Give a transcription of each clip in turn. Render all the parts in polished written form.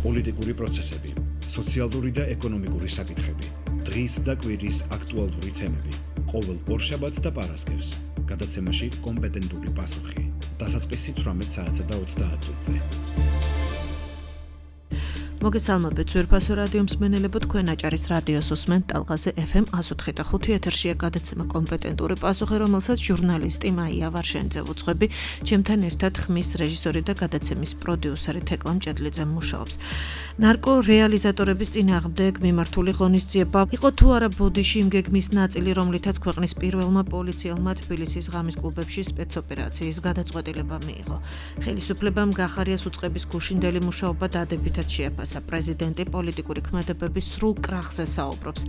პოლიტიკური პროცესები, სოციალური და ეკონომიკური საკითხები, დღის და კვირის აქტუალური თემები, ყოველ ორშაბათს და პარასკევს, გადაცემაში კომპეტენტური პასუხი, დასაწყისი 18 საათსა და 30 წუთზე. მოგესალმებით ძვირფასო რადიო მსმენელებო, თქვენ აჭარის რადიოს უსმენთ ტალღაზე FM 104.5 ეთერშია გადაცემა კომპეტენტური პასუხი, რომელსაც ჟურნალისტი მაია ვარშენიძე უძღვები, ჩემთან ერთად ხმის რეჟისორი და გადაცემის პროდიუსერი თეკლა მჭედლიძე მუშაობს. ნარკო რეალიზატორების წინააღმდეგ მიმართული ღონისძიება იყო თუ არა ბოდიში იმ გეგმის ნაწილი, რომლითაც ქვეყნის პირველმა პოლიციელმა თბილისის ღამის კლუბებში სპეცოპერაციის გადაწყვეტილება მიიღო. ხელისუფლებამ გახარიას უწყების გუშინდელი მუშაობა დადებითად შეაფასა. პრეზიდენტი პოლიტიკური ქმედებების სრულ კრახზე საუბრობს.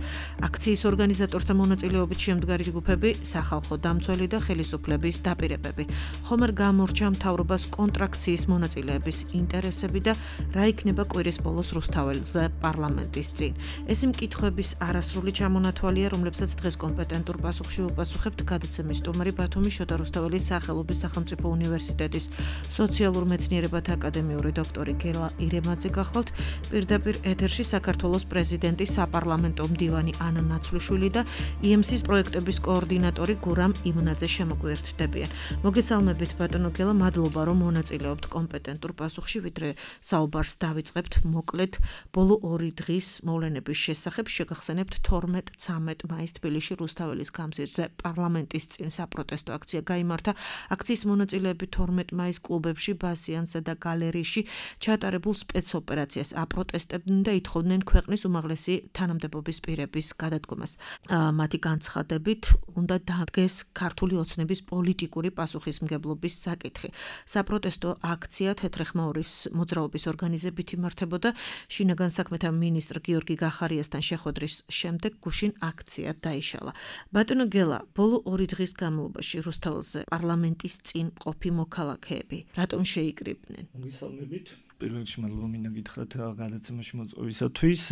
აქციის ორგანიზატორთა მონაწილეობით შემდგარი ჯგუფები, სახალხო დამცველი და ხელისუფლების დაპირებები. ხომ არ გამორჩა მთავრობას კონტრაქციის მონაწილეების ინტერესები და რა იქნება კვირის ბოლოს რუსთაველზე პარლამენტის წინ. ეს მკითხვების არასრული ჩამონათვალია, რომლებსაც დღეს კომპეტენტურ პასუხში უპასუხებთ გადაცემის სტუმარი ბათუმის შოთა რუსთაველის სახელობის სახელმწიფო უნივერსიტეტის სოციალურ მეცნიერებათა აკადემიური დოქტორი გელა ირემაძე გახლავთ. პირდაპირ ეთერში საქართველოს პრეზიდენტი, საპარლამენტო მდივანი ანა ნაცვლიშვილი და EMC-ის პროექტების კოორდინატორი გურამ იმნაძე შემოგვიერთდებიან. მოგესალმებით ბატონო გელა, მადლობა რომ მონაწილეობთ კომპეტენტურ პასუხში, ვიდრე საუბარს დავიწყებთ მოკლედ ბოლო 2 დღის მოვლენების შესახებ. შეგახსენებთ 12-13 მაისს თბილისში რუსთაველის გამზირზე პარლამენტის წინ საპროტესტო აქცია გაიმართა. აქციის მონაწილეები 12 მაისს კლუბებში, ბასიანსა და გალერეაში ჩატარებულ სპეცოპერაციას აპროტესტებდნენ და ითხოვდნენ ქვეყნის უმაღლესი თანამდებობის პირების გადადგომას. მათი განცხადებით უნდა დადგეს ქართული ოცნების პოლიტიკური პასუხისმგებლობის საკითხი. საპროტესტო აქცია თეთრეხმაურის მოძრაობის ორგანიზებით იმართებოდა. შინაგან საქმეთა მინისტრ გიორგი გახარიასთან შეხვედრის შემდეგ გუშინ აქცია დაიშალა. ბატონო გელა, ბოლო 2 დღის განმავლობაში რუსთაველზე პარლამენტის წინ მყოფი მოქალაქეები რატომ შეიკრიბნენ? მოგესალმებით. პირველ რიგში მადლობა მინდა გითხრათ გადაცემაში მოწვევისათვის.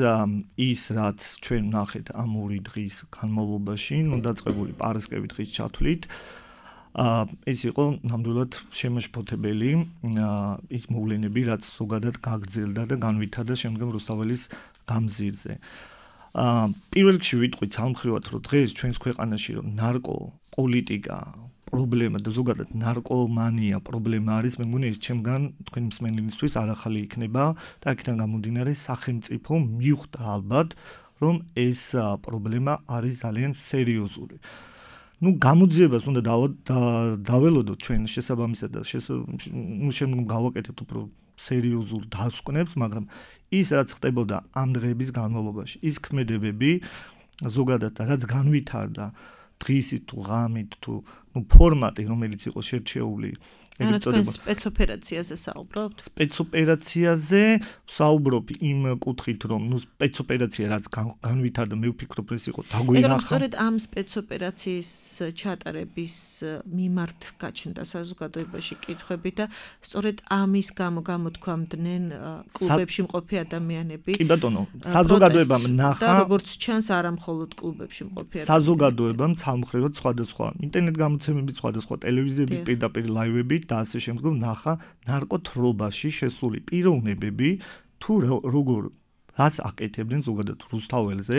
ის რაც ჩვენ ვნახეთ ამ 2 დღის განმავლობაში, დაწყებული პარასკევი დღის ჩათვლით, ეს იყო ნამდვილად შემაშფოთებელი ის მოვლენები, რაც ზოგადად გაგრძელდა და განვითარდა შემდგომ რუსთაველის გამზირზე. პირველ რიგში ვიტყვით სამხრივად, რომ დღეს ჩვენს ქვეყანაში რომ ნარკო პოლიტიკა პრობლემა და ზოგადად ნარკომანია პრობლემა არის, მე მგონი ეს ჩემგან თქვენი მსმენელისთვის არახალი იქნება და აქედან გამომდინარე სახელმწიფო მიხვდა ალბათ, რომ ეს პრობლემა არის ძალიან სერიოზული. გამოძიებას უნდა დაველოდოთ ჩვენ შესაბამისად და შემდგომ გავაკეთებთ უფრო სერიოზულ დასკვნებს, მაგრამ ის რაც ხდებოდა ამ დღეების განმავლობაში, ის ქმედებები ზოგადად რაც განვითარდა დღისით თუ ღამით თუ ფორმატი, რომელიც იყო შერჩეული, თქვენ სპეცოპერაციაზე საუბრობთ? სპეცოპერაციაზე საუბრობ იმ კუთხით, რომ სპეცოპერაცია რაც განვითარდა, მე ვფიქრობ, ეს იყო დაგვინახა. სწორედ ამ სპეცოპერაციის ჩატარების მიმართ გაჩნდა საზოგადოებაში კითხვები და სწორედ ამის გამო გამოთქვამდნენ კლუბებში მყოფი ადამიანები. კი ბატონო, საზოგადოებამ ნახა და როგორც ჩანს, არა მხოლოდ კლუბებში მყოფი ადამიანები. საზოგადოებამ ცალმხრივად სხვადასხვა ინტერნეტ გამოცემებით, სხვადასხვა ტელევიზიების პირდაპირ ლაივებით და ასე შემდგომ ნახა ნარკოთრობაში შესული პიროვნებები თუ როგორ რაც აკეთებდნენ ზოგადად რუსთაველზე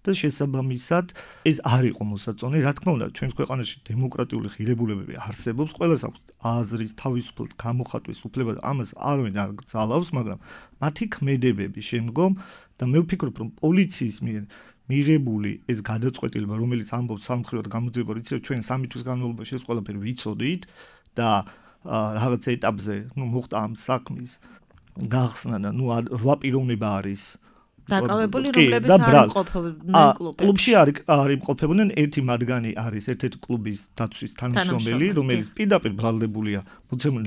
და შესაბამისად ეს არ იყო მოსაწონი. რა თქმა უნდა, ჩვენს ქვეყანაში დემოკრატიული ღირებულებები არსებობს, ყველას აქვს აზრის თავისუფლად გამოხატვის უფლება და ამას არავინ არ გძალავს, მაგრამ მათი ქმედებები შემდგომ და მე ვფიქრობ, რომ პოლიციის მიერ მიღებული ეს გადაწყვეტილება, რომელიც ამბობს სამხედრო გამოძიება, იცით, ჩვენ 3 თვის განმავლობაში ეს ყველაფერი ვიცოდით და რაღაც ეტაპზე, მოხდა ამ საქმის გახსნა და 8 პიროვნება არის დაკავებული, რომლებიც არ იმყოფებდნენ კლუბში. არ იმყოფებდნენ, ერთი მათგანი არის ერთ-ერთი კლუბის დაცვის თანამშრომელი, რომელიც პირდაპირ ბრალდებულია მოცემული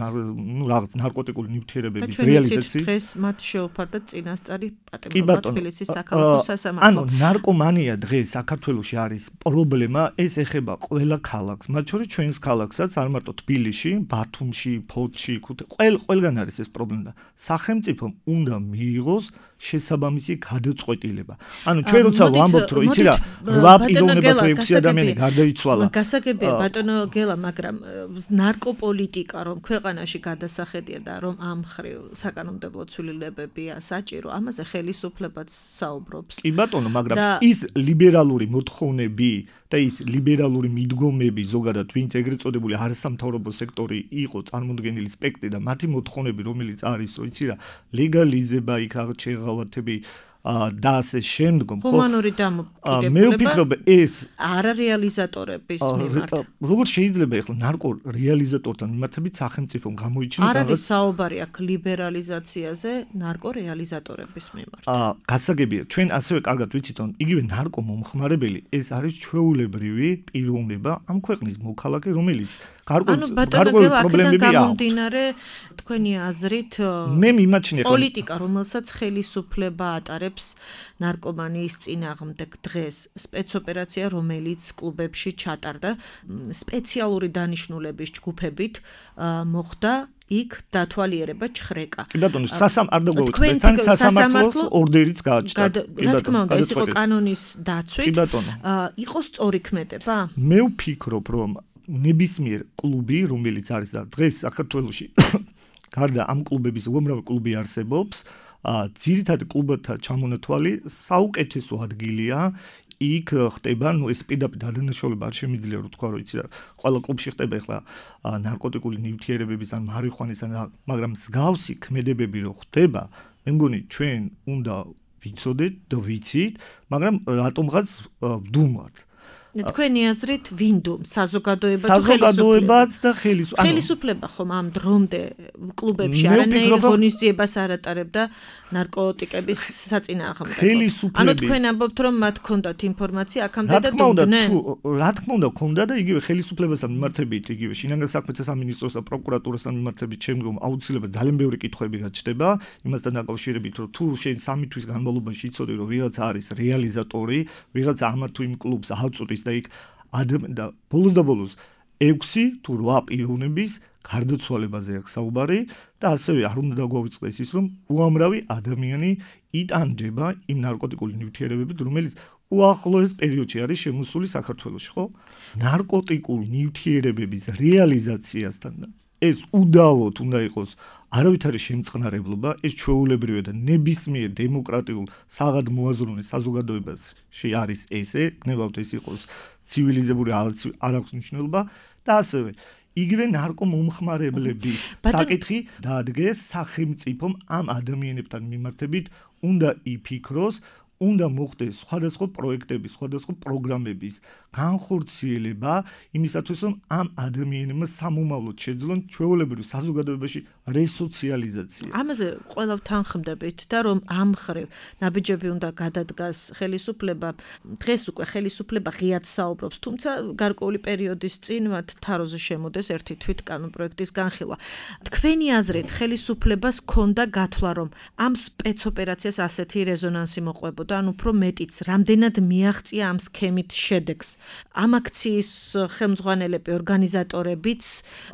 რაღაც ნარკოტიკული ნივთიერებების რეალიზაციით. დღეს მათ შეუფარდა წინასწარი პატიმრობა თბილისის საქალაქო სასამართლო. ანუ ნარკომანია დღეს საქართველოში არის პრობლემა, ეს ეხება ყველა ქალაქს, მათ შორის ჩვენს ქალაქსაც, არ მარტო თბილისში, ბათუმში, ფოთში, ყველგან არის ეს პრობლემა. სახელმწიფომ უნდა მიიღოს შესაბამისი გადაწყვეტილება. ანუ ჩვენ როცა ვამბობთ, რომ იცი რა, 8 პიროვნება თუ 6 ადამიანი გარდაიცვალა. გასაგებია ბატონო გელა, მაგრამ ნარკოპოლიტიკა რომ ქვეყანაში გადასახედია და რომ ამ ხრივ საკანონმდებლო ცვლილებებია საჭირო, ამაზე ხელისუფლებაც საუბრობს. კი ბატონო, მაგრამ ის ლიბერალური მოთხოვნები და ის ლიბერალური მიდგომები ზოგადად ვინც ეგრეთ წოდებული არასამთავრობო სექტორი იყო წარმოდგენილი სპექტრი და მათი მოთხოვნები რომელიც არის, იცი რა, ლეგალიზება იქ რაღაც შეღავათები და ასე შემდგომ ხო ჰუმანური დამოკიდებულება მე ვფიქრობ ეს არარეალიზატორების მიმართ როგორ შეიძლება ახლა ნარკო რეალიზატორთან მიმართებით სახელმწიფომ გამოიჩინოს არ არის საუბარი აქ ლიბერალიზაციაზე ნარკო რეალიზატორების მიმართ გასაგებია ჩვენ ასევე კარგად ვიცით რომ იგივე ნარკო მომხმარებელი ეს არის ჩვეულებრივი პიროვნება ამ ქვეყნის მოქალაქე რომელიც გარკვეული პრობლემები აქვს გამომდინარე თქვენი აზრით მე მიმაჩნია პოლიტიკა რომელსაც ხელისუფლება ატარებს ნარკომანიის წინააღმდეგ დღეს სპეცოპერაცია რომელიც კლუბებში ჩატარდა სპეციალური დანიშნულების ჯგუფებით მოხდა იქ დათვალიერება ჩხრეკა. კი ბატონო, არ დაგვეუწყდეთ, სასამართლოს ორდერიც გააჩნდა. რა თქმა უნდა, ეს იყო კანონის დაცვით. კი ბატონო. იყო სწორი ქმედება? მე ვფიქრობ, რომ ნებისმიერ კლუბი, რომელიც არის და დღეს საქართველოში გარდა ამ კლუბების უამრავი კლუბი არსებობს, ძირითადად კლუბთა ჩამონათვალი საუკეთესო ადგილია. იქ ხდება, ეს პირდაპირ დადანაშაულება არ შემიძლია რომ თქვა, რომ იცი რა, ყველა კლუბში ხდება ახლა ნარკოტიკული ნივთიერებების ან მარიხვანის ან მაგრამ მსგავსი ქმედებები რო ხდება, მე მგონი ჩვენ უნდა ვიცოდეთ და ვიცით, მაგრამ რატომღაც ვდუმართ. თქვენი აზრით ვინ დუმს საზოგადოება თუ საზოგადოებაც და ხელისუფლება ხომ ამ დრომდე კლუბებში არანაირ ღონისძიებას არ ატარებდა ნარკოტიკების საწინააღმდეგო ანუ თქვენ ამბობთ რომ მათ ჰქონდათ ინფორმაცია აქამდე და დუმდნენ რა თქმა უნდა ჰქონდა და იგივე ხელისუფლებასთან მიმართებით იგივე შინაგან საქმეთა სამინისტროს და პროკურატურასთან მიმართებით შემდგომ აუცილებლად ძალიან ბევრი კითხვები გაჩნდება იმასთან დაკავშირებით რომ თუ შენ 3 თვის განმავლობაში იცოდი რომ ვიღაცა არის რეალიზატორი ვიღაცა ამა თუ იმ კლუბს აღწუდის და იქ და ბოლოს 6 თუ 8 პიროვნების გარდაცვალებაზე აქვს საუბარი და ასევე არ უნდა დაგვაუწყდეს ის რომ უამრავი ადამიანი იტანჯება იმ ნარკოტიკული ნივთიერებებით რომელიც უახლოეს პერიოდში არის შემოსული საქართველოში ხო ნარკოტიკულ ნივთიერებების რეალიზაციასთან ეს უდავოდ უნდა იყოს არავითარი შემწყნარებლობა ეს ჩვეულებრივია და ნებისმიერ დემოკრატიულ საღად მოაზროვნე საზოგადოებაში არის ესე გნებავთ ეს იყოს ცივილიზებული არ აქვს მნიშვნელობა და ასევე იგივე ნარკომომხმარებლების საკითხი დაადგეს სახელმწიფომ ამ ადამიანებთან მიმართებით უნდა იფიქროს უნდა მოხდეს სხვადასხვა პროექტების, სხვადასხვა პროგრამების განხორციელება იმისათვის, რომ ამ ადამიანებმა სამომავლოდ შეძლონ ჩვეულებრივ საზოგადოებაში რესოციალიზაცია. ამაზე ყველავ თანხმდებით და რომ ამ ხრივ ნაბიჯები უნდა გადადგას ხელისუფლება, დღეს უკვე ხელისუფლება ღიად საუბრობს, თუმცა გარკვეული პერიოდის წინ მათ თაროზე შემოდეს ერთი თვით კანონპროექტის განხილვა. თქვენი აზრით ხელისუფლებას ჰქონდა გათვლა, რომ ამ სპეცოპერაციას ასეთი რეზონანსი მოყვებოდა ან უფრო მეტიც, რამდენად მიაღწია ამ სქემით შედეგს. ამ აქციის ხელმძღვანელები, ორგანიზატორებიც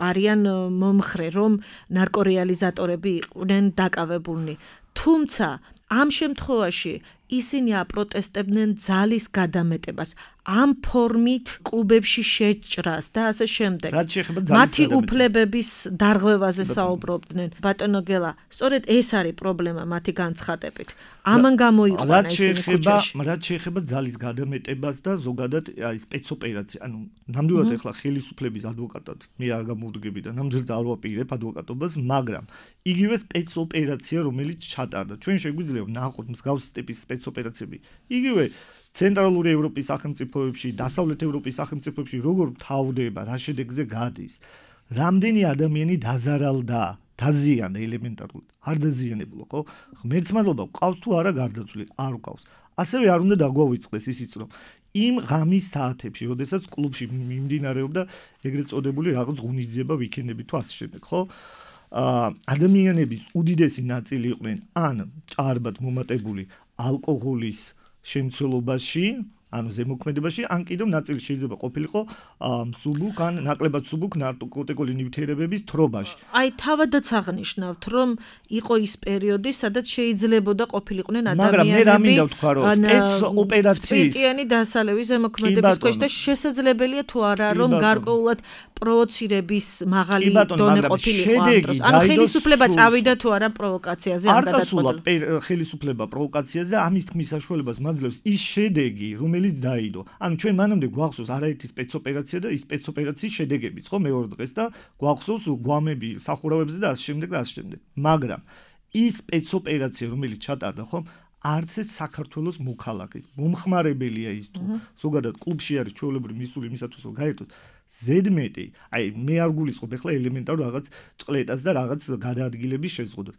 არიან მომხრე, რომ ნარკორეალიზატორები იყვნენ დაკავებულნი. თუმცა ამ შემთხვევაში ისინი აპროტესტებდნენ ძალის გადამეტებას, ამ ფორმით კლუბებში შეჭრას და ასე შემდეგ. მათი უფლებების დარღვევაზე საუბრობდნენ. ბატონო გელა, სწორედ ეს არის პრობლემა მათი განცხადებით. ამან გამოიყვანა ისინი ქუჩაში. რაც შეეხება ძალის გადამეტებას და ზოგადად აი სპეცოპერაცია, ანუ ნამდვილად ახლა ხელისუფლების ადვოკატად მე არ გამოვდგები და ნამდვილად არ ვაპირებ ადვოკატობას, მაგრამ იგივე სპეცოპერაცია რომელიც ჩატარდა. ჩვენ შეგვიძლია ვნახოთ მსგავსი ტიპის სპეცოპერაციები. იგივე ცენტრალური ევროპის სახელმწიფოებში, დასავლეთ ევროპის სახელმწიფოებში როგორ თავდება, რა შედეგზე გადის. რამდენი ადამიანი დაზარალდა, დაზიანდა ელემენტარულად. არ დაზიანებულა, ხო? ღმერთსმადლობა ყავს თუ არა გარდაცვლილი, არ ყავს. ასევე არ უნდა დაგვაუწყდეს ისიც, რომ იმ ღამის საათებში, როდესაც კლუბში მიმდინარეობდა ეგრეთ წოდებული რაღაც ღონისძიება, ვიკენდები თუ ასე შემდეგ, ხო? ადამიანების უდიდესი ნაწილი იყვნენ ან ჭარბად მომატებული ალკოჰოლის შემცველობაში, ანუ ზემოქმედებაში, ან კიდევ ნაწილი შეიძლება ყოფილიყო მსუბუქ ან ნაკლებად მსუბუქ ნარკოტიკული ნივთიერებების თრობაში. აი თავადაც აღნიშნავთ, რომ იყო ის პერიოდი, სადაც შეიძლებოდა ყოფილიყვნენ ადამიანები. მაგრამ მე რა მინდა ვთქვა, რომ სპეცოპერაციის სპირტიანი დასალევის ზემოქმედების ქვეშ და შესაძლებელია თუ არა, რომ გარკვეულად პროვოცირების მაღალი დონე ყოფილიყო ამ დროს. ანუ ხელისუფლება წავიდა თუ არა პროვოკაციაზე ამ გადაწყვეტილებას. არ წასულა ხელისუფლება პროვოკაციაზე და ამის თქმის საშუალებას მაძლევს ის შედეგი, რომელიც დაიდო. ანუ ჩვენ მანამდე გვახსოვს არაერთი სპეცოპერაცია და ის სპეცოპერაციის შედეგებიც, ხო, მეორე დღეს და გვახსოვს გვამები სახურავებზე და ასე შემდეგ და ასე შემდეგ. მაგრამ ის სპეცოპერაცია, რომელიც ჩატარდა, ხო, არც ერთ საქართველოს მოქალაქეს მომხმარებელია ის თუ ზოგადად კლუბში არის ჩვეულებრივი მისული იმისათვის რომ გაერთოს ზედმეტი, აი მე არ გულისხმობ ახლა ელემენტარ რაღაც ჭყლეტას და რაღაც გადაადგილების შეზღუდვას.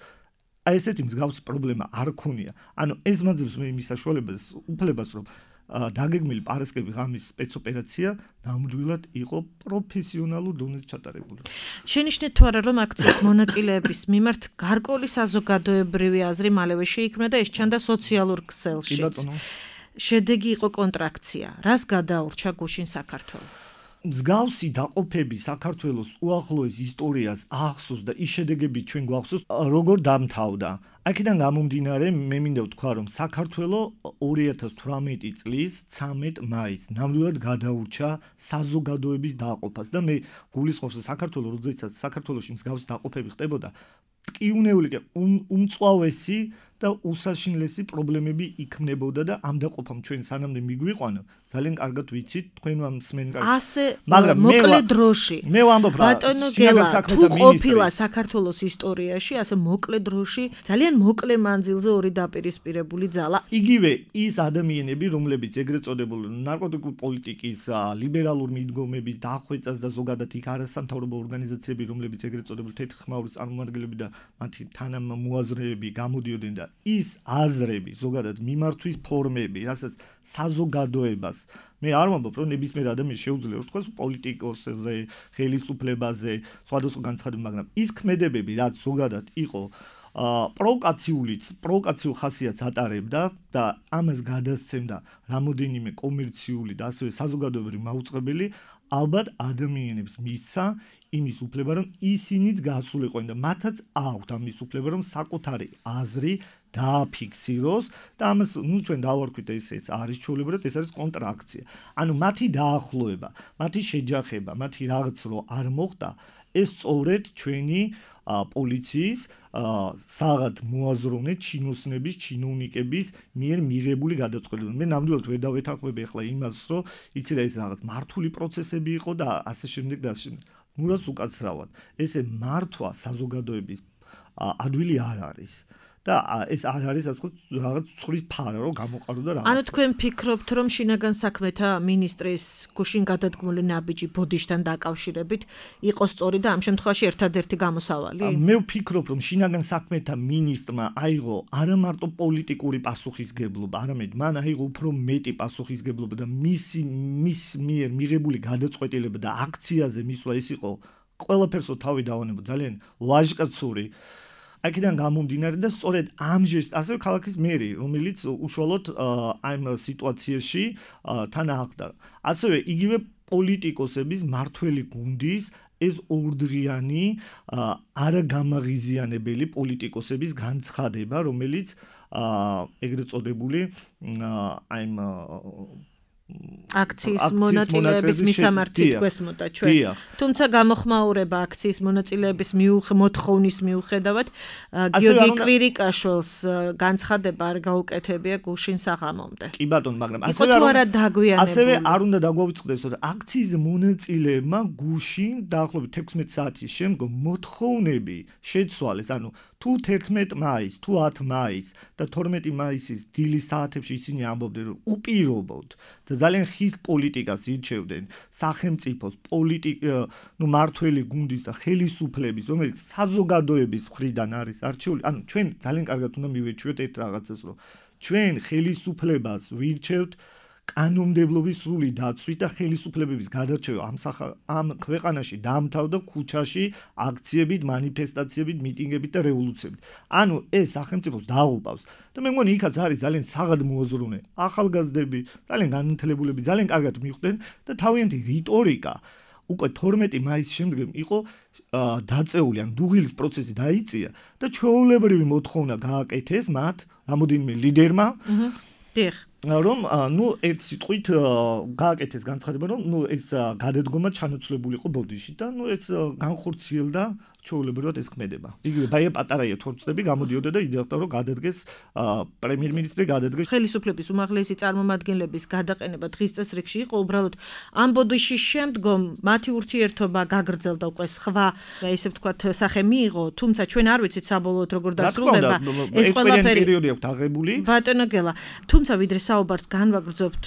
აი ესეთი მსგავსი პრობლემა არ ქონია. ანუ ეს მაძლევს მე იმის საშუალებას, უფლებას რომ დაგეგმილი პარასკევი ღამის სპეცოპერაცია ნამდვილად იყო პროფესიონალურ დონეზე ჩატარებული. შენიშნეთ თუ არა რომ აქციის მონაწილეების მიმართ გარკვეული საზოგადოებრივი აზრი მალევე შეიქმნა და ეს ჩანდა სოციალურ ქსელშიც. შედეგი იყო კონტრაქცია. რას გადაურჩა გუშინ საქართველოს? მსგავსი დაყოფები საქართველოს უახლოეს ისტორიას ახსოვს და ის შედეგები ჩვენ გვახსოვს როგორ დამთავრდა. აქედან გამომდინარე მე მინდა ვთქვა რომ საქართველოს 2018 წლის 13 მაისს ნამდვილად გადაურჩა საზოგადოების დაყოფას და მე გულისხმობს რომ საქართველოს როდესაც საქართველოში მსგავსი დაყოფები ხდებოდა ტკივნეული უმწვავესი და უსაშინლესი პრობლემები იქმნებოდა და ამ დაყოფამ ჩვენ სანამდე მიგვიყვანა ძალიან კარგად ვიცით თქვენ მსმენ კარგად ასე მოკლე დროში მე ვამბობ რა ბატონო გელა თუ ყოფილა საქართველოს ისტორიაში ასე მოკლე დროში ძალიან მოკლე მანძილზე ორი დაპირისპირებული ძალა იგივე ის ადამიანები რომლებიც ეგრეთ წოდებულ ნარკოტიკული პოლიტიკის ლიბერალურ მიდგომების დახვეწას და ზოგადად იქ არასამთავრობო ორგანიზაციები რომლებიც ეგრეთ წოდებულ თეთრხმაურის წარმომადგენლები და მათი თანამოაზრეები გამოდიოდნენ და ის აზრები ზოგადად მიმართვის ფორმები რასაც საზოგადოებას მე არ ვამბობ რომ ნებისმიერ ადამიანს შეუძლია ვთქვას პოლიტიკოსზე ხელისუფლებაზე სხვადასხვა განცხადებები მაგრამ ის ქმედებები რაც ზოგადად იყო პროვოკაციულ ხასიათს ატარებდა და ამას გადასცემდა რამოდენიმე კომერციული და ასევე საზოგადოებრივი მაუწყებელი ალბათ ადამიანებს მისცა იმის უფლება რომ ისინიც გაასულიყვნენ და მათაც აქვთ ამის უფლება რომ საკუთარი აზრი დააფიქსიროს და ამას ნუ ჩვენ დავარქვით ეს არის ჩვეულებრივად ეს არის კონტრაქცია. ანუ მათი დაახლოება, მათი შეჯახება, მათი რაღაც რო არ მოხდა ეს სწორედ ჩვენი პოლიციის საღად მოაზროვნე ჩინოსნების, ჩინოვნიკების მიერ მიღებული გადაწყვეტილება. მე ნამდვილად ვერ დავეთანხმები ახლა იმას, რომ იცი რა ეს რაღაც მართული პროცესები იყო და ასე შემდეგ და ასე შემდეგ. ნურაც უკაცრავად. ესე მართვა საზოგადოების ადვილი არ არის. და ეს არ არის რაღაც ცხვრის ფარა რომ გამოყარო და რაღაც. ანუ თქვენ ფიქრობთ რომ შინაგან საქმეთა მინისტრის გუშინ გადადგმული ნაბიჯი ბოდიშთან დაკავშირებით იყო სწორი და ამ შემთხვევაში ერთადერთი გამოსავალი? მე ვფიქრობ რომ შინაგან საქმეთა მინისტრმა აიღო არა მარტო პოლიტიკური პასუხისგებლობა, არამედ მან აიღო უფრო მეტი პასუხისგებლობა და მის მიერ მიღებული გადაწყვეტილება და აქციაზე მისვლა ის იყო ყველაფერსო თავი დავანებო ძალიან ვაჟკაცური აქედან გამომდინარე და სწორედ ამ ჟესტ ასევე ქალაქის მერი რომელიც უშუალოდ ამ სიტუაციაში თან აღდა ასევე იგივე პოლიტიკოსების მართველი გუნდის ეს ორდღიანი არაგამაღიზიანებელი პოლიტიკოსების განცხადება რომელიც ეგრეთ წოდებული ამ აქციის მონაწილეების მისამართით გვესმოდა ჩვენ. თუმცა გამოხმაურება აქციის მონაწილეების მოთხოვნის მიუხედავად გიორგი კვირიკაშვილს განცხადება არ გაუკეთებია გუშინ საღამომდე. კი ბატონო, მაგრამ ასევე არ უნდა დაგვავიწყდეს, რომ აქციის მონაწილეებმა გუშინ დაახლოებით 16 საათის შემდგომ მოთხოვნები შეცვალეს, ანუ თუ 11 მაისს, თუ 10 მაისს და 12 მაისის დილის საათებში ისინი ამბობდნენ, რომ უპირობოდ და ძალიან ხის პოლიტიკას ირჩევდნენ სახელმწიფოს მართველი გუნდის და ხელისუფლების, რომელიც საზოგადოების მხრიდან არის არჩეული. ანუ ჩვენ ძალიან კარგად უნდა მივეჩვიოთ ერთ რაღაცას, რომ ჩვენ ხელისუფლებას ვირჩევთ კანონმდებლობის სრული დაცვით და ხელისუფლებების გადარჩევა ამ ქვეყანაში დაამთავრდა ქუჩაში აქციებით, მანიფესტაციებით, მიტინგებით და რევოლუციებით. ანუ ეს სახელმწიფოს დააუპავს. და მე მგონი იქაც არის ძალიან საღად მოაზროვნე ახალგაზრდები, ძალიან განათლებულები, ძალიან კარგად მიხვდნენ და თავიანთი რიტორიკა უკვე 12 მაისის შემდგომ იყო დაწეული, ან დუღილის პროცესი დაიწია და ჩვეულებრივი მოთხოვნა გააკეთეს მათ რამოდენიმე ლიდერმა. რომ ერთ სიტყვით გააკეთეს განცხადება, რომ ეს გადადგომა ჩანაცვლებული იყო ბოდიში და ეს განხორციელდა ჩვეულებრივად ეს ქმედება. იგივე ბაია პატარაია თორწდები გამოდიოდა და იდეალდა რომ გადადგეს პრემიერ-მინისტრი გადადგეს. ხელისუფლების უმაღლესი წარმომადგენლების გადაყენება დღის წესრიგში იყო უბრალოდ ამ ბოდიშის შემდგომ მათი ურთიერთობა გაგრძელდა უკვე სხვა ესე ვთქვათ სახე მიიღო, თუმცა ჩვენ არ ვიცით საბოლოოდ როგორ დასრულდება ეს ყველაფერი პერიოდი აქვს აღებული. ბატონო გელა, თუმცა ვიდრე საუბარს განვაგრძობთ,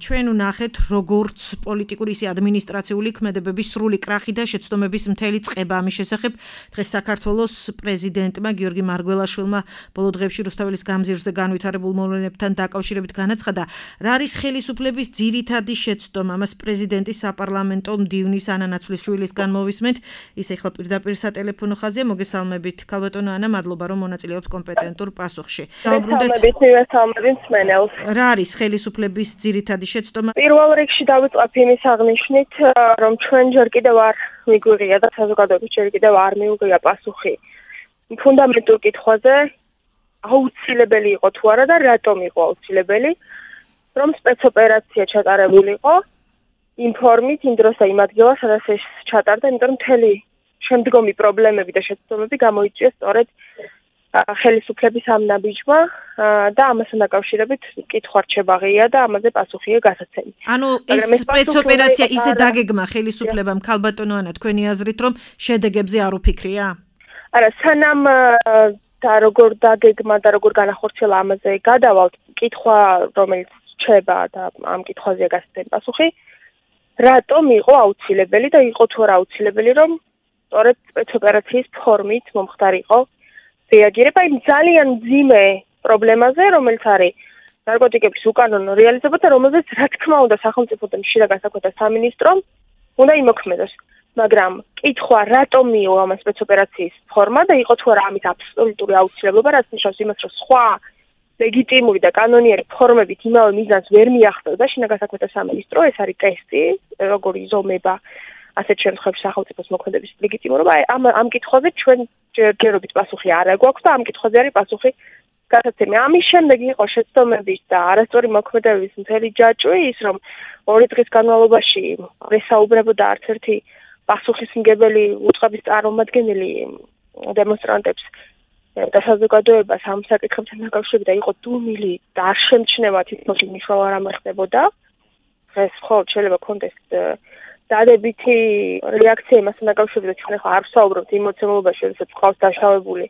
ჩვენ ვნახეთ როგორც პოლიტიკური ისე ადმინისტრაციული ქმედებების სრული კრახი და შეცდომების მთელი წყება ამის შესახებ დღეს საქართველოს პრეზიდენტმა გიორგი მარგველაშვილმა ბოლო დღეებში რუსთაველის გამზირზე განვითარებულ მოვლენებთან დაკავშირებით განაცხადა, რა არის ხელისუფლების ძირითადი შეცდომა. ამას პრეზიდენტის საპარლამენტო მდივნის ანა ნაცვლიშვილისგან მოვისმენთ. ის ახლა პირდაპირ სატელეფონო ხაზია. მოგესალმებით ქალბატონო ანა, მადლობა რომ მონაწილეობთ კომპეტენტურ პასუხში. რა არის ხელისუფლების ძირითადი შეცდომა? პირველ რიგში დავიწყებ იმის აღნიშვნით, რომ ჩვენ ჯერ კიდევ არ მიგვიღია და საზოგადოების ჯერ კიდევ არ მიუღია პასუხი ფუნდამენტურ კითხვაზე, აუცილებელი იყო თუ არა და რატომ იყო აუცილებელი, რომ სპეცოპერაცია ჩატარებულიყო იმ ფორმით, იმ დროს და იმ ადგილას, სადაც ეს ჩატარდა, იმიტომ რომ მთელი შემდგომი პრობლემები და შეცდომები გამოიწვია სწორედ ხელისუფლების ამ ნაბიჯმა და ამასთან დაკავშირებით კითხვა რჩება ღია და ამაზე პასუხია გასაცემი. ანუ ეს სპეცოპერაცია ისე დაგეგმა ხელისუფლებამ ქალბატონო ანა, თქვენი აზრით რომ შედეგებზე არ უფიქრია? არა, სანამ და როგორ დაგეგმა და როგორ განახორციელა ამაზე გადავალთ, კითხვა რომელიც რჩება და ამ კითხვაზეა გასაცემი პასუხი, რატომ იყო აუცილებელი და იყო თუ არა აუცილებელი, რომ სწორედ სპეცოპერაციის ფორმით მომხდარიყო რეაგირება იმ ძალიან მძიმე პრობლემაზე, რომელიც არის ნარკოტიკების უკანონო რეალიზება და რომელზეც რა თქმა უნდა სახელმწიფო და მშრალ განსაკუთრება სამინისტრომ უნდა იმოქმედოს. მაგრამ კითხვა რატომ მიიღო ამ სპეცოპერაციის ფორმა და იყო თუ არა ამის აბსოლუტური აუცილებლობა, რაც ნიშნავს იმას, რომ სხვა ლეგიტიმური და კანონიერი ფორმებით იმავე მიზანს ვერ მიაღწევდა შინაგან განსაკუთრება სამინისტრო, ეს არის ტესტი, როგორი იზომება ასეთ შემთხვევებში სახელმწიფოს მოქმედების ლეგიტიმურობა. ამ კითხვაზე ჩვენ ჯერჯერობით პასუხი არ გვაქვს და ამ კითხვაზე არის პასუხი გასაცემი. ამის შემდეგ იყო შეცდომების და არასწორი მოქმედებების მთელი ჯაჭვი, ის რომ 2 დღის განმავლობაში ესაუბრებოდა არც ერთი პასუხისმგებელი უწყების წარმომადგენელი დემონსტრანტებს და საზოგადოებას ამ საკითხებთან დაკავშირებით და იყო დუმილი და არ შემჩნევა თითქოს მნიშვნელობა არ ამხდებოდა. დღეს მხოლოდ შეიძლება კონტექსტ დადებითი რეაქცია იმასთან დაკავშირებით, რომ ახლა არ ვსაუბრობთ იმ მოცემულობაში, როდესაც ყავს დაშავებული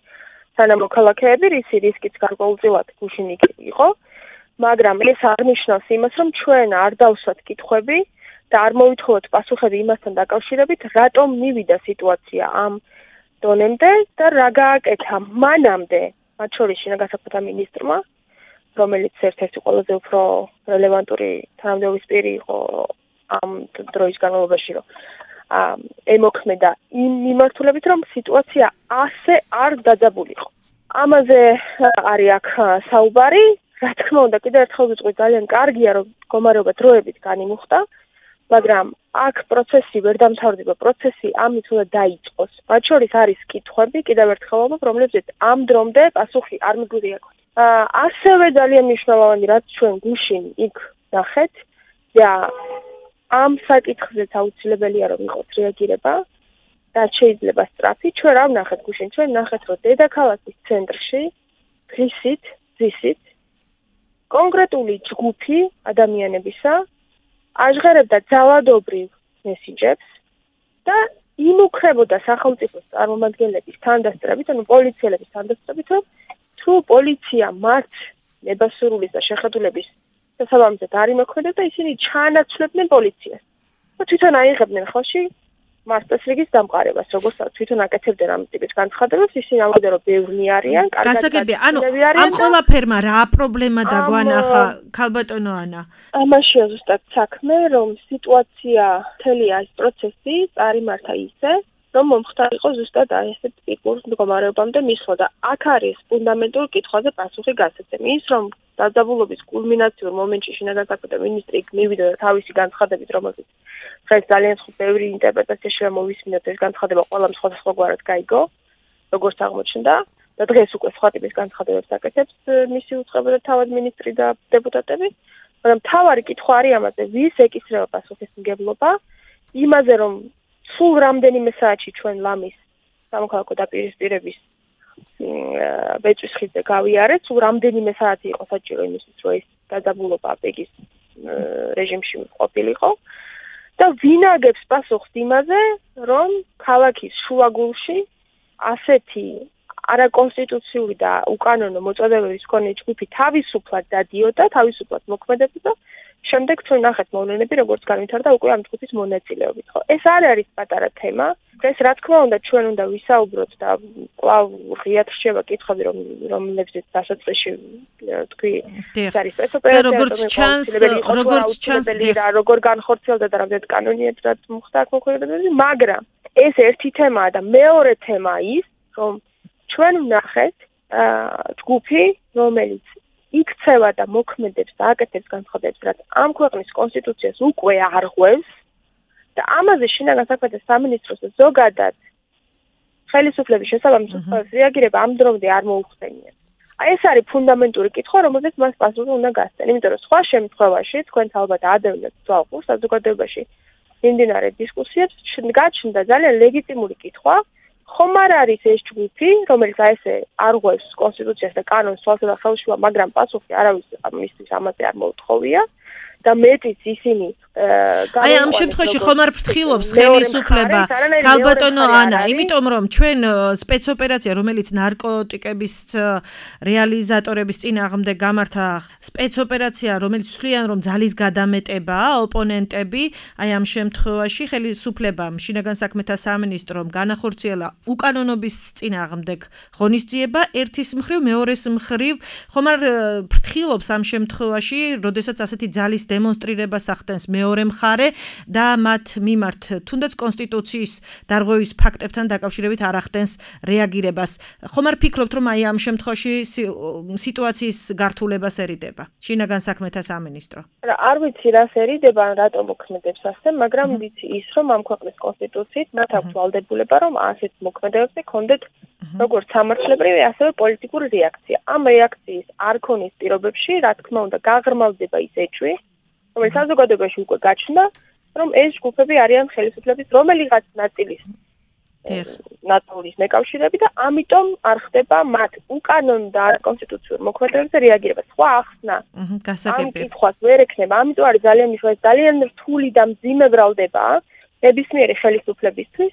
თანამოქალაქეები, რისი რისკიც გარკვეულწილად გუშინ იყო, მაგრამ ეს არ ნიშნავს იმას, რომ ჩვენ არ დავსვათ კითხვები და არ მოვითხოვოთ პასუხები იმასთან დაკავშირებით, რატომ მივიდა სიტუაცია ამ დონემდე და რა გააკეთა მანამდე, მათ შორის შინაგან საქმეთა მინისტრმა, რომელიც ერთ-ერთი ყველაზე უფრო რელევანტური თანამდებობის პირი იყო ამ დროის განმავლობაში, რომ ემოქმედა იმ მიმართულებით, რომ სიტუაცია ასე არ დაძაბულიყო. ამაზე არის აქ საუბარი, რა თქმა უნდა, კიდევ ერთხელ ვიტყვი, ძალიან კარგია, რომ მდგომარეობა დროებით განიმუხტა, მაგრამ აქ პროცესი ვერ დამთავრდება, პროცესი ამით უნდა დაიწყოს. მათ შორის არის კითხვები, კიდევ ერთხელ ვამბობ, რომლებზეც ამ დრომდე პასუხი არ მიგვიღია. ასევე ძალიან მნიშვნელოვანი, რაც ჩვენ გუშინ იქ ნახეთ და ამ საკითხზეც აუცილებელია რომ იყოს რეაგირება და შეიძლება სწრაფი. ჩვენ რა ვნახეთ გუშინ? ჩვენ ვნახეთ, რომ დედაქალაქის ცენტრში დღისით კონკრეტული ჯგუფი ადამიანებისა აჟღერებდა ძალადობრივ მესიჯებს და იმუქრებოდა სახელმწიფოს წარმომადგენლების თანდასწრებით, ანუ პოლიციელების თანდასწრებით, რომ თუ პოლიცია მათ ნებასურულის და შეხედულების შესაბამისად არ იმოქმედებს და ისინი ჩაანაცვლებდნენ პოლიციას. და თვითონ აიღებდნენ ხელში მასწავლებლების დამყარებას, როგორც თვითონ აკეთებდნენ ამ ტიპის განცხადებებს, ისინი ამბობდნენ, რომ ბევრნი არიან, გასაგებია, ანუ ამ ყველაფერმა რა პრობლემა დაგვანახა, ქალბატონო ანა? ამაშია ზუსტად საქმე, რომ სიტუაცია, მთელი ეს პროცესი წარიმართა ისე, რომ მომხდარიყო ზუსტად ესეთ ტიპურ მდგომარეობამდე მისვლა და აქ არის ფუნდამენტურ კითხვაზე პასუხი გასაცემი. ის რომ დაძაბულობის კულმინაციურ მომენტში შინაგან საქმეთა მინისტრი მივიდა და თავისი განცხადებით, რომელზეც დღეს ძალიან ბევრი ინტერპრეტაცია შემოვისმინოთ, ეს განცხადება ყველამ სხვადასხვაგვარად გაიგო, როგორც აღმოჩნდა და დღეს უკვე სხვა ტიპის განცხადებებს აკეთებს მისი უწყება და თავად მინისტრი და დეპუტატები. მაგრამ მთავარი კითხვა არის ამაზე, ვის ეკისრება პასუხისმგებლობა იმაზე, რომ სულ რამდენიმე საათში ჩვენ ლამის სამოქალაქო დაპირისპირების ბეჭვის ხიდზე გავიარეთ, სულ რამდენიმე საათი იყო საჭირო იმისთვის, რომ ეს დაძაბულობა პეგის რეჟიმში ყოფილიყო და ვინ აგებს პასუხს იმაზე, რომ ქალაქის შუაგულში ასეთი არაკონსტიტუციური და უკანონო მოწოდებების მქონე ჯგუფი თავისუფლად დადიოდა, თავისუფლად მოქმედებდა. შემდეგ ჩვენ ნახეთ მოვლენები, როგორც განვითარდა უკვე ამ ჯგუფის მონაწილეობით, ხო? ეს არ არის პატარა თემა. ეს რა თქმა უნდა ჩვენ უნდა ვისაუბროთ და კვლავ ღიად რჩება კითხვები, რომლებზეც დასაწყისში თქვი, ეს არის სპეცოპერაცია, როგორც ჩანს, როგორ განხორციელდა და რამდენად კანონიებად მოხდა აქ მოქმედებები, მაგრამ ეს ერთი თემაა და მეორე თემა ის, რომ ჩვენ ვნახეთ ჯგუფი, რომელიც იქცევა და მოქმედებს და აკეთებს განცხადებებს, რაც ამ ქვეყნის კონსტიტუციას უკვე არღვევს და ამაზე შინაგან საქმეთა სამინისტროს და ზოგადად ხელისუფლების შესაბამის უწყებას რეაგირება ამ დრომდე არ მოუხსენიათ. ეს არის ფუნდამენტური კითხვა, რომელზეც მას პასუხი უნდა გასცენ, იმიტომ რომ სხვა შემთხვევაში თქვენ ალბათ ადევნებთ თვალყურს საზოგადოებაში მიმდინარე დისკუსიებს, გაჩნდა ძალიან ლეგიტიმური კითხვა, ხომ არ არის ეს ჯგუფი, რომელიც ესე არღვევს კონსტიტუციას და კანონს თვალსა ხელშუა, მაგრამ პასუხი არავის ამისთვის ამაზე არ მოუთხოვია და მეტიც ისინი აი ამ შემთხვევაში ხომ არ ფრთხილობს ხელისუფლება ქალბატონო ანა, იმიტომ რომ ჩვენ სპეცოპერაცია, რომელიც ნარკოტიკების რეალიზატორების წინააღმდეგ გამართა სპეცოპერაცია, რომელიც თვლიან რომ ძალის გადამეტებაა ოპონენტები, აი ამ შემთხვევაში ხელისუფლებამ შინაგან საქმეთა სამინისტრომ განახორციელა უკანონობის წინააღმდეგ ღონისძიება ერთის მხრივ, მეორეს მხრივ, ხომ არ ფრთხილობს ამ შემთხვევაში, როდესაც ასეთი ძალის დემონსტრირებას ახდენს მეორე მხარე და მათ მიმართ თუნდაც კონსტიტუციის დარღვევის ფაქტებთან დაკავშირებით არ ახდენს რეაგირებას. ხომ არ ფიქრობთ, რომ აი ამ შემთხვევაში სიტუაციის გართულებას ერიდება შინაგან საქმეთა სამინისტრო? არ ვიცი რას ერიდება, ან რატომ მოქმედებს ასე, მაგრამ ვიცი ის, რომ ამ ქვეყნის კონსტიტუციით მათ აქვს ვალდებულება, რომ ასეთ მოქმედებებზე ქონდეთ როგორც სამართლებრივი, ასევე პოლიტიკური რეაქცია. ამ რეაქციის არ ქონის პირობებში, რა თქმა უნდა, გაღრმავდება ის ეჭვი, რომელიც საზოგადოებაში უკვე გაჩნდა, რომ ეს ჯგუფები არიან ხელისუფლების რომელიღაც ნაწილის ნაწილის მეკავშირეები და ამიტომ არ ხდება მათ უკანონო და არაკონსტიტუციურ მოქმედებებზე რეაგირება. სხვა ახსნა ამ კითხვას ვერ ექნება, ამიტომ არის ძალიან მნიშვნელოვანი, ძალიან რთული და მძიმე ბრალდება ნებისმიერი ხელისუფლებისთვის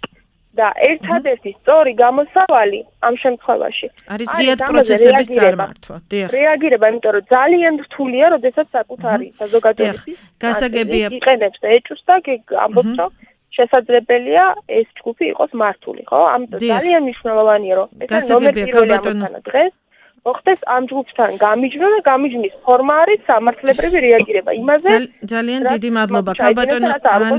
და ერთადერთი სწორი გამოსავალი ამ შემთხვევაში არის ღიად პროცესების წარმართვა. რეაგირება, იმიტომ რომ ძალიან რთულია, როდესაც საკუთარი საზოგადოების გასაგებია იყენებს და ეჭვს და ამბობს, რომ შესაძლებელია ეს ჯგუფი იყოს მართული, ხო? ამიტომ ძალიან მნიშვნელოვანია, რომ ეს ნომერი დღეს მოხდეს ამ ჯგუფთან გამიჯვნა და გამიჯვნის ფორმა არის სამართლებრივი რეაგირება იმაზე. ძალიან დიდი მადლობა ქალბატონო ან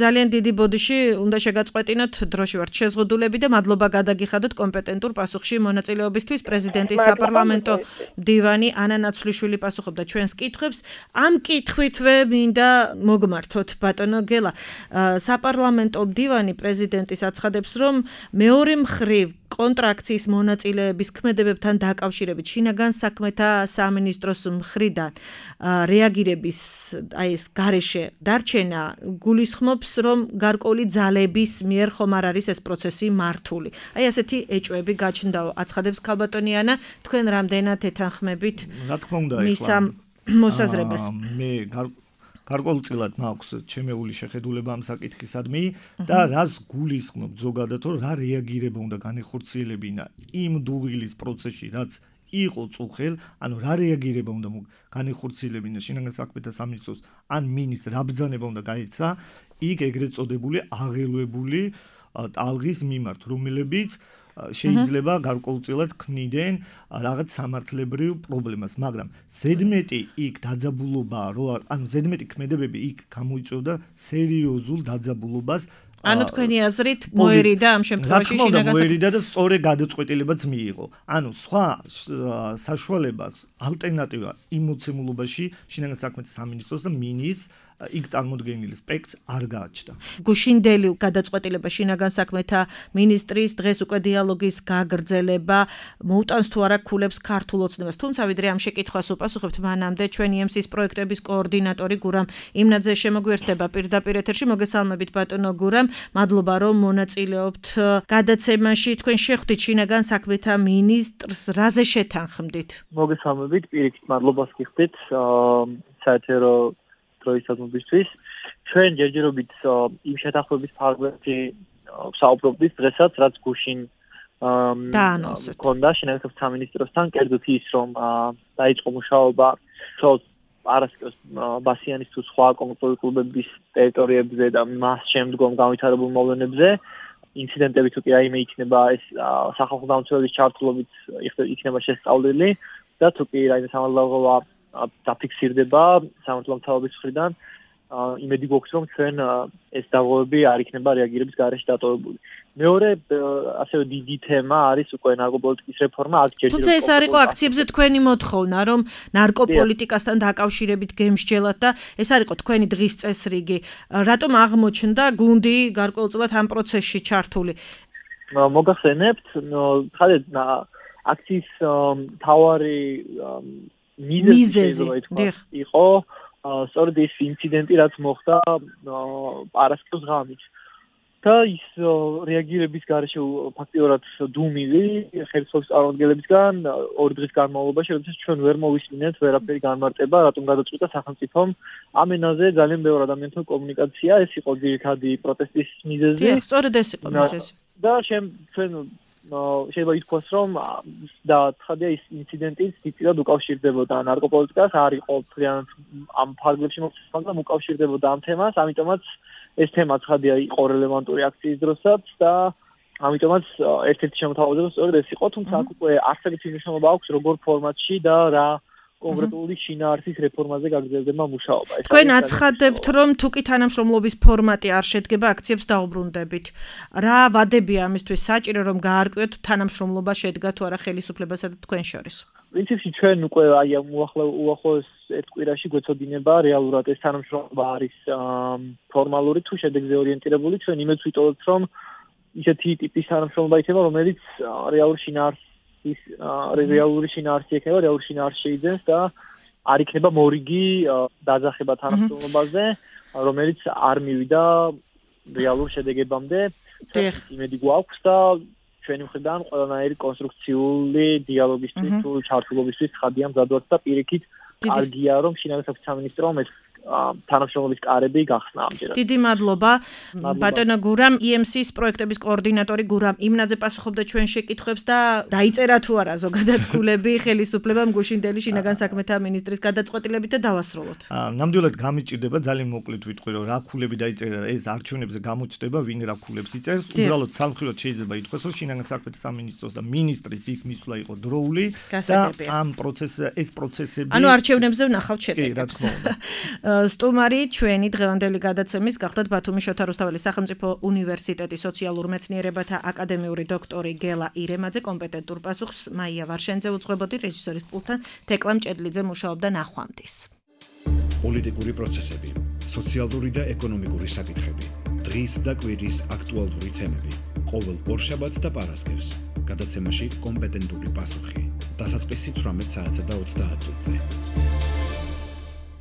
ძალიან დიდი ბოდიში უნდა შეგაწყვეტინოთ, დროში ვართ შეზღუდულები და მადლობა გადაგიხადოთ კომპეტენტურ პასუხში მონაწილეობისთვის. პრეზიდენტის საპარლამენტო მდივანი ანა ნაცვლიშვილი პასუხობდა ჩვენს კითხვებს. ამ კითხვითვე მინდა მოგმართოთ ბატონო გელა. საპარლამენტო მდივანი პრეზიდენტის აცხადებს, რომ მეორე მხრივ კონტრაქციის მონაწილეების ქმედებებთან დაკავშირებით შინაგან საქმეთა სამინისტროს მხრიდან რეაგირების აი ეს გარეშე დარჩენა გულისხმობს, რომ გარკვეული ძალების მიერ ხომ არ არის ეს პროცესი მართული. აი ასეთი ეჭვები გაჩნდაო, აცხადებს ქალბატონი ანა, თქვენ რამდენად ეთანხმებით რა თქმა უნდა მისა მოსაზრებას? მე გარკვეულწილად მაქვს ჩემეული შეხედულება ამ საკითხისადმი და რას გულისხმობ ზოგადად, რომ რა რეაგირება უნდა განეხორციელებინა იმ დუღილის პროცესში, რაც იყო წუხელ, ანუ რა რეაგირება უნდა განეხორციელებინა შინაგან საქმეთა სამინისტროს ან მინისტრს რა ბრძანება უნდა გაეცა იქ ეგრეთ წოდებული აღელვებული ტალღის მიმართ, რომლებიც შეიძლება გარკვეულწილად ქმნიდნენ რაღაც სამართლებრივ პრობლემას, მაგრამ ზედმეტი იქ დაძაბულობაა, ანუ ზედმეტი ქმედებები იქ გამოიწვევდა სერიოზულ დაძაბულობას. ანუ თქვენი აზრით მოერიდა ამ შემთხვევაში შინაგან მოერიდა და სწორი გადაწყვეტილებაც მიიღო. ანუ სხვა საშუალებას ალტერნატივა იმ მოცემულობაში შინაგან საქმეთა სამინისტროს და მინისტრს იქ წარმოდგენილი სპექტრს არ გააჩნდა. გუშინდელი გადაწყვეტილება შინაგან საქმეთა მინისტრის დღეს უკვე დიალოგის გაგრძელება მოუტანს თუ არა ქულებს ქართულ ოცნებას. თუმცა ვიდრე ამ შეკითხვას უპასუხებთ, მანამდე ჩვენი EMC-ის პროექტების კოორდინატორი გურამ იმნაძე შემოგვიერთდება პირდაპირ ეთერში. მოგესალმებით ბატონო გურამ, მადლობა რომ მონაწილეობთ გადაცემაში. თქვენ შეხვდით შინაგან საქმეთა მინისტრს, რაზე შეთანხმდით? მოგესალმებით, პირიქით მადლობას გიხდით საეთერო დროისადმისთვის. ჩვენ ჯერჯერობით იმ შეთანხმების ფარგლებში საუბრობდით დღესაც, რაც გუშინ ქონდა შინაგან საქმეთა სამინისტროსთან, კერძოდ ის, რომ დაიწყო მუშაობა პარასკევს ბასიანის თუ სხვა კონკრეტული კლუბების ტერიტორიებზე და მას შემდგომ განვითარებულ მოვლენებზე. ინციდენტები თუ კი რაიმე იქნება ეს სახალხო დამცველების ჩართულობით იქნება შესწავლილი და თუ კი რაიმე სამართლებრივი დაფიქსირდება სამართლებრივი მთავრობის მხრიდან, იმედი გვაქვს, რომ ჩვენ ეს დაღუპვები არ იქნება რეაგირების გარეშე დატოვებული. მეორე ასევე დიდი თემა არის უკვე ნარკოპოლიტიკის რეფორმა. თუმცა ეს არ იყო აქციებზე თქვენი მოთხოვნა, რომ ნარკოპოლიტიკასთან დაკავშირებით გემსჯელათ და ეს არ იყო თქვენი დღის წესრიგი. რატომ აღმოჩნდა გუნდი გარკვეულწილად ამ პროცესში ჩართული? მოგახსენებთ, ხადეთ აქციის მთავარი მიზეზი იყო სწორედ ის ინციდენტი, რაც მოხდა პარასკევს ღამით. და ის რეაგირების გარეშე ფაქტიურად დუმილი ხელისუფლების წარმომადგენლებისგან 2 დღის განმავლობაში, როდესაც ჩვენ ვერ მოვისმინეთ ვერაფერი განმარტება, რატომ გადაწყვიტა სახელმწიფომ ამ ენაზე ძალიან ბევრ ადამიანთან კომუნიკაცია, ეს იყო ძირითადი პროტესტის მიზეზი. სწორედ ეს იყო მიზეზი. და ჩვენ შეიძლება ითქვას, რომ და ცხადია ის ინციდენტიც დიდად უკავშირდებოდა ნარკოპოლიტიკას, არ იყო მთლიანად ამ ფარგლებში მოხდა, მაგრამ უკავშირდებოდა ამ თემას, ამიტომაც ეს თემა ცხადია იყო რელევანტური აქციის დროსაც და ამიტომაც ერთ-ერთი შემოთავაზება სწორედ ეს იყო, თუმცა აქ უკვე არც ერთი მნიშვნელობა აქვს როგორ ფორმატში და რა კონკრეტული შინაარსის რეფორმაზე გაგრძელდება მუშაობა. თქვენ აცხადებთ, რომ თუკი თანამშრომლობის ფორმატი არ შედგება, აქციებს დაუბრუნდებით. რა ვადებია ამისთვის საჭირო, რომ გაარკვიოთ თანამშრომლობა შედგა თუ არა ხელისუფლებასა და თქვენ შორის? პრინციპში ჩვენ უკვე უახლოეს ერთ კვირაში გვეცოდინება რეალურად ეს თანამშრომლობა არის ფორმალური თუ შედეგზე ორიენტირებული. ჩვენ იმედს ვიტოვებთ, რომ ისეთი ტიპის თანამშრომლობა იქნება, რომელიც რეალური შინაარსი ექნება, რეალური შინაარსი შეიძენს და არ იქნება მორიგი დაძახება თანამშრომლობაზე, რომელიც არ მივიდა რეალურ შედეგებამდე. იმედი გვაქვს და ჩვენი მხრიდან ყველანაირი კონსტრუქციული დიალოგისთვის თუ ჩართულობისთვის ხადია მზადված და პირიქით კარგია რომ შინაგან საქმეთა სამინისტრომ ეს თანამშრომლობის კარები გახსნა ამჯერად. დიდი მადლობა. ბატონო გურამ, EMC-ის პროექტების კოორდინატორი გურამ იმნაძე პასუხობდა ჩვენ შეკითხვებს და დაიწერა თუ არა ზოგადად ქულები ხელისუფლებამ გუშინდელი შინაგან საქმეთა მინისტრის გადაწყვეტილებით და დავასრულოთ. ნამდვილად გამიჭირდება, ძალიან მოკლედ ვიტყვი, რომ რა ქულები დაიწერა, ეს არჩევნებზე გამოჩნდება, ვინ რა ქულებს იწერს. უბრალოდ სამხილოდ შეიძლება ითქვას, რომ შინაგან საქმეთა სამინისტროს და მინისტრის იქ მისვლა იყო დროული და ამ ეს პროცესები ანუ არჩევნებზე ვნახავთ შედეგებს. სტუმარი ჩვენი დღევანდელი გადაცემის გახლდათ ბათუმის შოთა რუსთაველის სახელმწიფო უნივერსიტეტის სოციალურ მეცნიერებათა აკადემიური დოქტორი გელა ირემაძე. კომპეტენტურ პასუხს მაია ვარშენძე უძღვებოდი, რეჟისორის პულტთან თეკლა მჭედლიძე მუშაობდა. ნახვამდის. პოლიტიკური პროცესები, სოციალური და ეკონომიკური საკითხები, დღის და კვირის აქტუალური თემები. ყოველ ორშაბათს და პარასკევს გადაცემაში კომპეტენტური პასუხი. დასაწყისი 18 საათსა და 30 წუთზე.